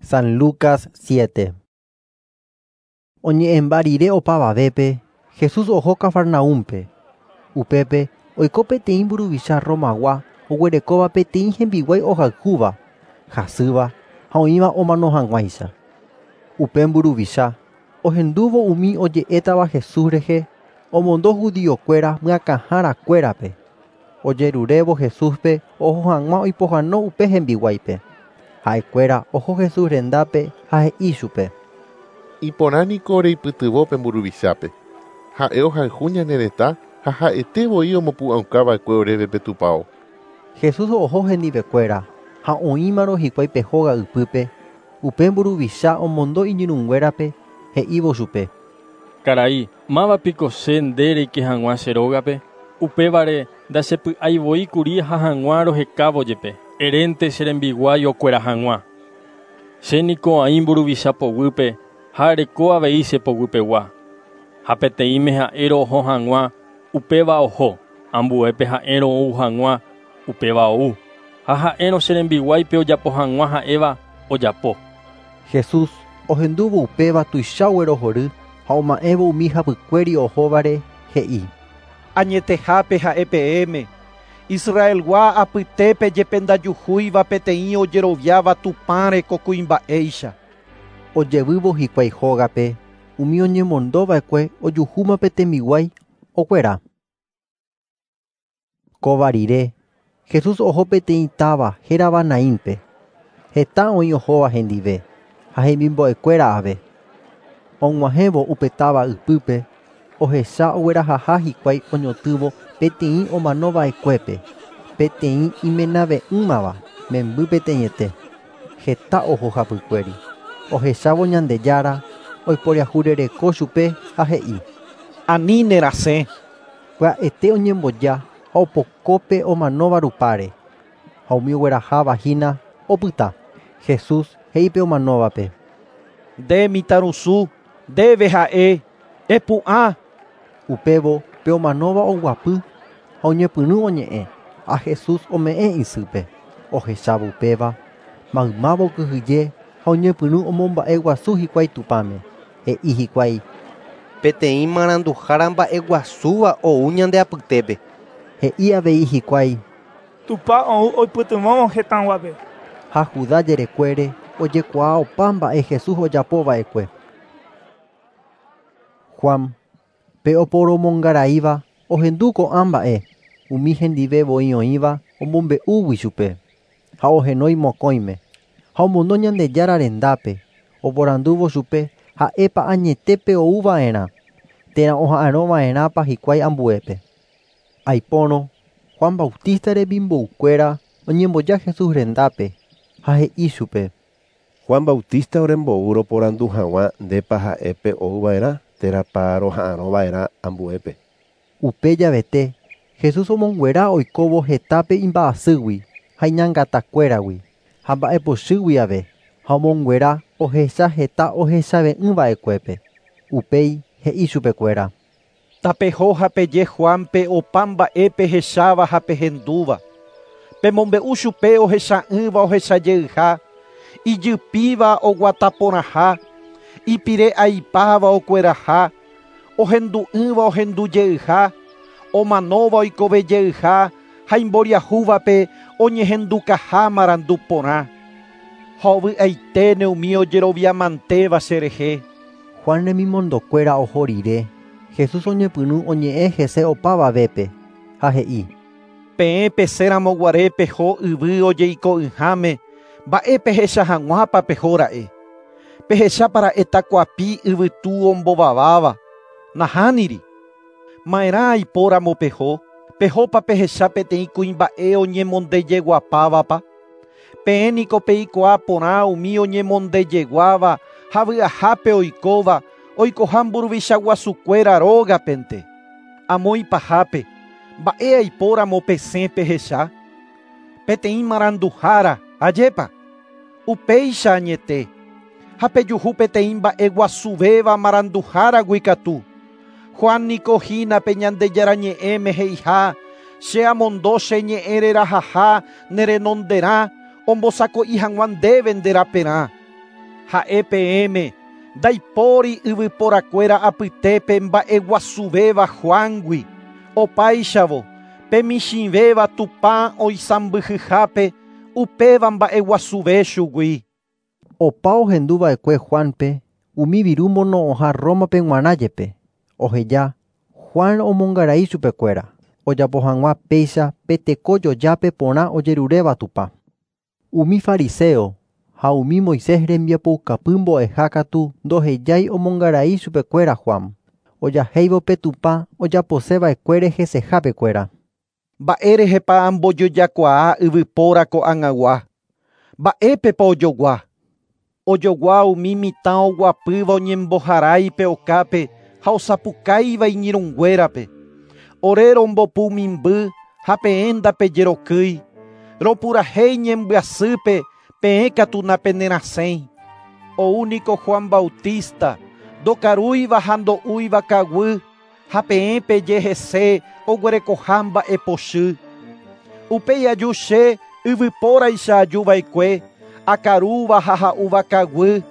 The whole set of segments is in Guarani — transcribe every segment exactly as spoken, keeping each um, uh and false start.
San Lucas siete. Oñe'ẽmba rire opavavépe, Jesús oho Cafarnaúmpe. Upépe oiko peteĩ mburuvicha Romagua oguerekóva peteĩ hembiguái ohayhúva, hasýva ha oĩva omano hag̃uáicha. Upe mburuvicha ohendúvo umi oje'étava Jesús rehe omondo judiokuéra myakãharakuérape ojerurévo Jesúspe oho hag̃ua oipohãno upe hembiguáipe. Ha'ekuéra oho Jesús rendápe ha he'i chupe: Iporã niko reipytyvõ pe mburuvichápe. Ha'e ohayhu ñane retã ha ha'ete voi omopu'ãukava'ekue oréve pe tupão. Jesús oho hendivekuéra ha oĩmarõ hikuái pe hóga ypýpe, upe mburuvicha omondo iñirũnguérape he'ívo chupe: Karai, mávapiko che nde reike hag̃ua che rógape? Upévare ndachepy'aivoíkuri ha hag̃ua rohekávo jepe, erénte che rembiguái okuera hag̃ua. Che niko aĩ mburuvicha poguýpe ha areko avei che poguypegua. Ha peteĩme ha'érõ oho hag̃ua, upéva oho, ambuépe ha'érõ ou hag̃ua, upéva ou. Ha ha'érõ che rembiguáipe ojapo hag̃ua ha'éva ojapo. Jesús ohendúvo upéva tuicha oguerohory ha oma'ẽvo umi hapykuéri ohóvare he'i: Añetehápe ha'e peẽme, Israelgua apytépe jepe ndajuhúiva peteĩ ojeroviáva Tupãre ko kuimba'éicha. Ojevývo hikuái hógape, umi oñemondova'ekue ojuhúma pe tembiguái okuera. Kóva rire, Jesús oho peteĩ táva hérava Naínpe. Heta oĩ ohóva hendive ha hemimbo'ekuéra ave. Og̃uahẽvo upe táva ypýpe, ohecha oguerahaha hikuái oñotỹvo peteĩ omanova'ekuépe, peteĩ imenave'ỹmava memby peteĩete. Heta oho hapykuéri. Ohechávo Ñandejára oiporiahurereko chupe ha he'i: Ani nerasẽ. Pya'ete oñemboja ha opoko pe omanóva rupáre, ha umi oguerahavahína opyta. Jesús he'i pe omanóvape: Nde mitãrusu, ndéve ha'e, epu'ã. Upévo pe omanóva oguapy ha oñepyrũ oñe'ẽ, ha Jesús ome'ẽ isýpe. Ohechávo upéva, maymáva okyhyje ha oñepyrũ omomba'eguasu hikuái Tupãme. He'i hikuái: Peteĩ maranduhára mba'eguasúva ou ñande apytépe. He'i avei hikuái: Tupã ou oipytyvõvo hetãguápe. Ha Judá jerekuére ojekuaa opa mba'e Jesús ojapova'ekue. Juan, pe oporomongaraíva, ohendu ko'ã mba'e, umi hendive voi oĩva omombe'úgui chupe, ha ohenói mokõime, ha omondo Ñandejára rendápe, oporandúvo chupe ha'épa añetépe ouva'erã, térã oha'arõva'erãpa hikuái ambuépe. Aipórõ, Juan Bautista remimboukuéra oñemboja Jesús rendápe ha he'i chupe: Juan Bautista orembou roporandu hag̃ua ndépa ha'épe ouva'erã térãpa roha'arõva'erã ambuépe. Upe javete, Jesús omonguera oikóvo hetápe imba'asýgui ha iñangatakuéragui ha mba'epochýgui ave, ha omonguera ohecha heta ohechave'ỹva'ekuépe. Upéi he'i chupekuéra: Tapeho ha peje Juanpe opa mba'e pehecháva ha pehendúva. Pemombe'u chupe ohecha'ỹva ohechajeyha, ijypíva oguataporãha, ipire aipáva okueraha, ohendu'ỹva ohendujeyha, omanóva oikovejeyha ha imboriahúvape oñehendukaha marandu porã. Ha ovy'aiténe umi ojeroviamantéva cherehe. Juan remimondokuéra oho rire, Jesús oñepyrũ oñe'ẽ hese opavavépe, ha he'i: Peẽ pesẽramoguare peho yvy ojeiko'ỹháme, mba'e pehecha hag̃uápa pehóra'e. Pehechápara'e takuapi yvytu ombovaváva. Nahániri. Ma'erã aipóramo peho, pehópa pehecha peteĩ kuimba'e oñemondejeguapávapa. Peẽ niko peikuaa porã umi oñemondejeguáva ha vy'ahápe oikóva, oikoha mburuvicha guasukuéra rógapente. Amo ipahápe, mba'e aipóramo pesẽ pehecha? Peteĩ maranduhára, ajépa? Upéicha añete. Ha pejuhu peteĩ mba'eguasuvéva maranduháragui katu. Juan niko hína pe Ñandejára ñe'ẽme he'iha, che amondo che ñe'ẽ rerahaha ne renonderã ombosako'i hag̃ua ndéve nde raperã. Ha'e peẽme ndaipóri yvyporakuéra apytépe mba'eguasuvéva Juángui. Opáichavo pe michĩvéva Tupã oisãmbyhyhápe upéva mba'eguasuve chugui. Opa ohenduva'ekue Juanpe umi viru mono'õha Rómape g̃uarã jepe. Oheja Juan omongarai chupekuéra ojapo hag̃ua péicha pe tekojojápe porã ojeruréva Tupã. Umi fariseo ha umi Moisés rembiapoukapy mbo'eha katu ndohejái omongarai chupekuéra Juan. Ojahéivo pe Tupã ojaposeva'ekuére hesehapekuéra. Mba'érehepa ambojojakuaa yvypóra ko'ag̃agua. Mba'épepa ojogua. Ojogua umi mitã oguapýva oñemboharáipe okápe ha osapukáiva iñirũnguérape. Ore rombopu mimby ha peẽ ndapejerokýi. Ropurahéi ñembyasýpe peẽ katu napenerasẽi. Oúniko Juan Bautista ndokarúiva ha ndo'úiva kaguy ha peẽ peje hese oguerekoha mba'epochy. Upéi aju che yvypóraicha ajuva'ekue akarúva ha ha'úva kaguy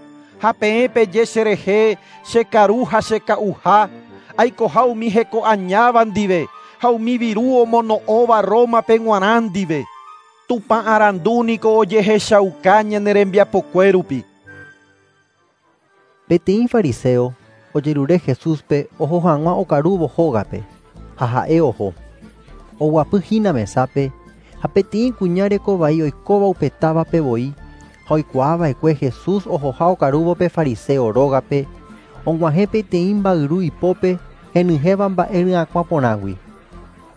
ha peẽ peje cherehe chekaru ha cheka'uha aikoha umi hekoañáva ndive ha umi viru omono'õva Rómape g̃uarã ndive. Tupã arandu niko ojehechauka ñane rembiapokue rupi. Peteĩ fariseo ojerure Jesúspe oho hag̃ua okarúvo hógape ha ha'e oho. Oguapyhína mesápe ha peteĩ kuña rekovai oikóva upe távape voi ha oikuaava'ekue Jesús ohoha okarúvo pe fariseo rógape og̃uahẽ peteĩ mba'yru ipópe henyhẽva mba'e ryakuã porãgui.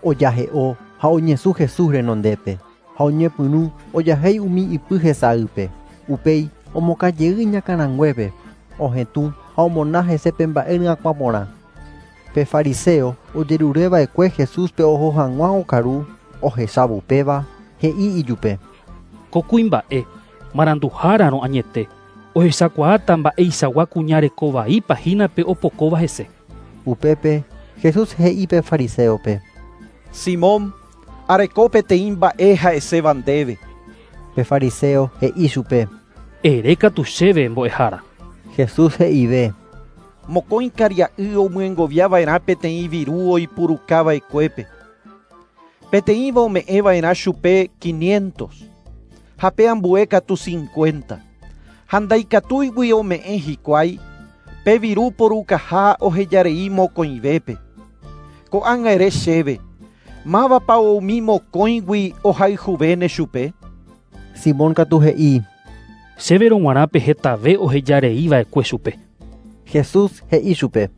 Ojahe'o ha oñesũ Jesús renondépe ha oñepyrũ ojahéi umi ipy hesaýpe. Upéi omokãjey iñakãranguépe ohetũ ha omona hese pe mba'e ryakuã porã. Pe fariseo ojerureva'ekue Jesúspe oho hag̃ua okaru ohechávo upéva he'i ijupe. Ko kuimba'e maranduhárarõ añete ohechakuaáta mba'eichagua kuña rekovaípa hína pe opokóva hese. Upépe Jesús he'i pe fariseope. Simón, areko peteĩ mba'e ha'eséva ndéve. Pe fariseo he'i chupe. Ere katu chéve mbo'ehára. Jesús he'ive. Mokõi karia'y omyengoviava'erã peteĩ viru oipurukava'ekuépe. Peteĩva ome'ẽva'erã chupe quinientos ha pe ambue katu cincuenta. Ha ndaikatúigui ome'ẽ hikuái pe viru porukaha ohejarei mokõivépe. Ko'ág̃a ere chéve, mávapa umi mokõigui ohayhuvéne chupe? Simón katu he'i. Chéverõ g̃uarã pe hetave ohejareiva'ekue chupe. Jesús he'i chupe.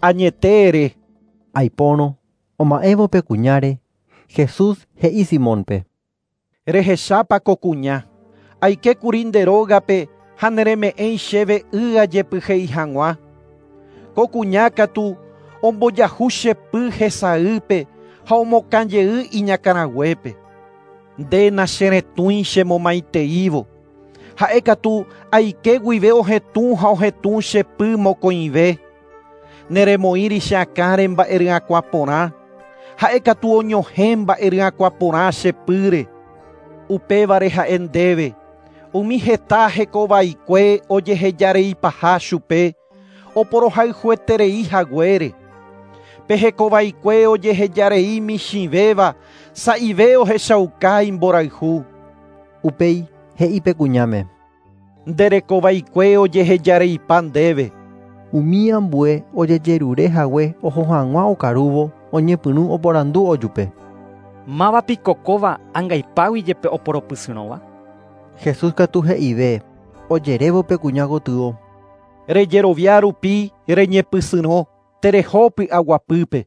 Añete ere. Aipórõ oma'ẽvo pe kuñáre, Jesús he'i Simónpe. Rehechápa ko kuña. Aikékuri nde rógape ha nereme'ẽi chéve y ajepyhéi hag̃ua. Ko kuña katu ombojahu che py hesaýpe ha omokãjey iñakãraguépe. Nde nacheretũi chemomaiteívo. Ha'e katu aike guive ohetũ ha ohetũ che py mokõive. Neremoĩri che akãre mba'e ryakuã porã. Ha'e katu oñohẽ mba'e ryakuã porã che pýre. Upévare ha'e ndéve. Umi heta hekovaikue ojehejareipaha chupe oporohayhueterei haguére. Pe hekovaikue ojehejarei michĩvéva sa'ive ohechauka imborayhu. Upéi he'i pe kuñáme. Nde rekovaikue ojehejareipa ndéve. Umi ambue ojejerure hague oho hag̃ua okarúvo oñepyrũ oporandu ojupe. Mávapiko kóva angaipágui jepe oporopysyrõva? Jesús katu he'ive ojerévo pe kuña gotyo. Rejerovia rupi reñepysyrõ tereho py'aguapýpe.